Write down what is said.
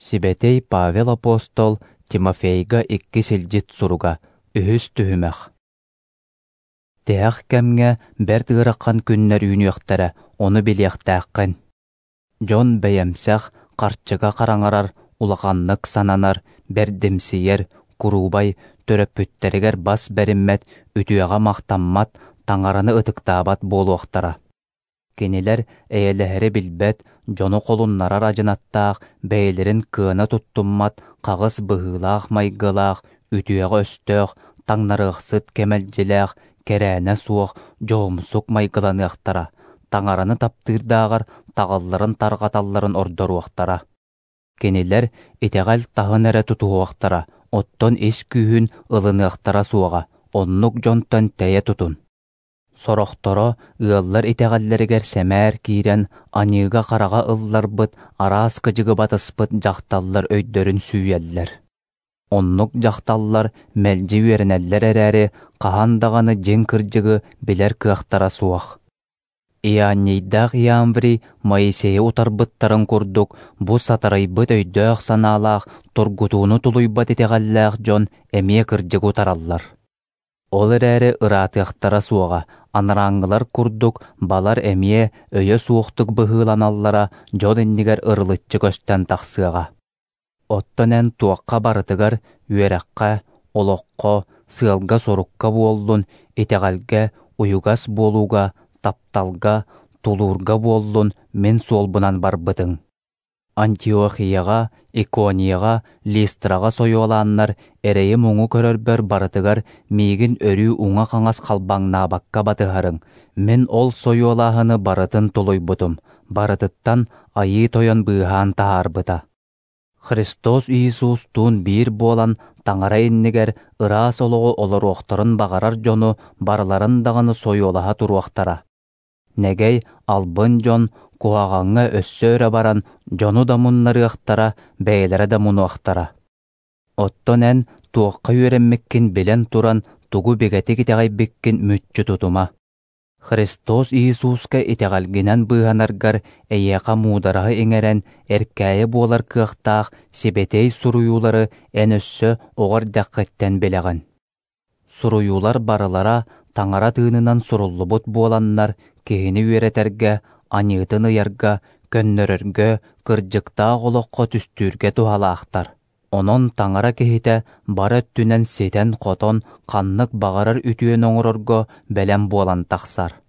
Сибэтиэй Павел апостол Тимофейга иккис илдьит суруга, үһүс түһүмэх. Тиһэх кэмҥэ бэрт ыарахан күннэр үүнүөхтэрэ, ону билиэхтээххин. Дьон бэйэмсэх, харчыга хараҥарар, улаханнык сананар, бэрдимсийэр, куруубай, төрөппүттэригэр бас бэриммэт, үтүөҕэ махтаммат, таҥараны ытыктаабат буолуохтара. Кинилэр эйэлэһэри билбэт, дьону холуннарар адьынаттаах, бэйэлэрин кыана туттуммат, хаҕыс быһыылаах-майгылаах, үтүөҕэ өстөөх, таҥнарыахсыт кэмэлдьилээх, кэрээнэ суох, дьоһумсук майгыланыахтара, таҥараны таптыырдааҕар таҕылларын тарҕаталларын ордоруохтара. Кинилэр итэҕэл таһын эрэ тутуһуохтара, оттон ис күүһүн ылыныахтара суоҕа, оннук дьонтон тэйэ тутун. Сорохторо ыаллар итэҕэллэригэр сэмээр киирэн, аньыыга-хараҕа ылларбыт, араас кыдьыгы батыспыт дьахталлар өйдөрүн сүүйэллэр. Оннук дьахталлар мэлдьи үөрэнэллэр эрээри, хаһан даҕаны дьиҥ кырдьыгы билэр кыахтара суох. Иоаннийдаах Иамврий Моисейы утарбыттарын курдук, бу сатарыйбыт өйдөөх-санаалаах, тургутууну тулуйбат итэҕэллээх дьон эмиэ кырдьыгы утараллар. Ол эрээри ыраатыахтара суоҕа, анарааҥҥылар курдук балар эмиэ өйө суохтук быһыыланаллара дьон иннигэр ырылыччы көстөн тахсыаҕа. Оттон эн туохха барытыгар үөрэххэ, олоххо, сыалга-сорукка буоллун, итэҕэлгэ, уйугас буолууга, тапталга, тулуурга буоллун мин суолбунан барбытыҥ. Антиохияҕа, Иконияҕа, Листраҕа сойуолааннар эрэйи-муҥу көрөрбөр барытыгар миигин өрүү уҥа-хаҥас халбаҥнаабакка батыһарыҥ. Мин ол сойуолааһыны барытын тулуйбутум, барытыттан Айыы Тойон быыһаан таһаарбыта. Христос Иисустуун биир буолан Таҥара иннигэр ыраас олоҕу олоруохтарын баҕарар дьону барыларын даҕаны сойуолаһа туруохтара. Нэгэй, албын дьон куһаҕаҥҥа өссө өрө баран дьону да муннарыахтара, бэйэлэрэ да мунуохтара. Оттон эн туохха үөрэммиккин билэн туран тугу бигэтик итэҕэйбиккин мүччү тутума. Христос Иисуска итэҕэлгинэн быыһанаргар эйиэхэ муудараһы иҥэрэн, эркээйи буолар кыахтаах сибэтиэй суруйуулары эн өссө оҕо эрдэххиттэн билэҕин. Суруйуулар барылара Таҥара тыынынан суруллубут буоланнар, киһини үөрэтэргэ, аньыытын ыйарга, көннөрөргө, кырдьыктаах олоххо түстүүргэ туһалаахтар. Онон Таҥара киһитэ бары өттүнэн ситэн-хотон, ханнык баҕарар үтүөнү оҥорорго бэлэм буолан тахсар.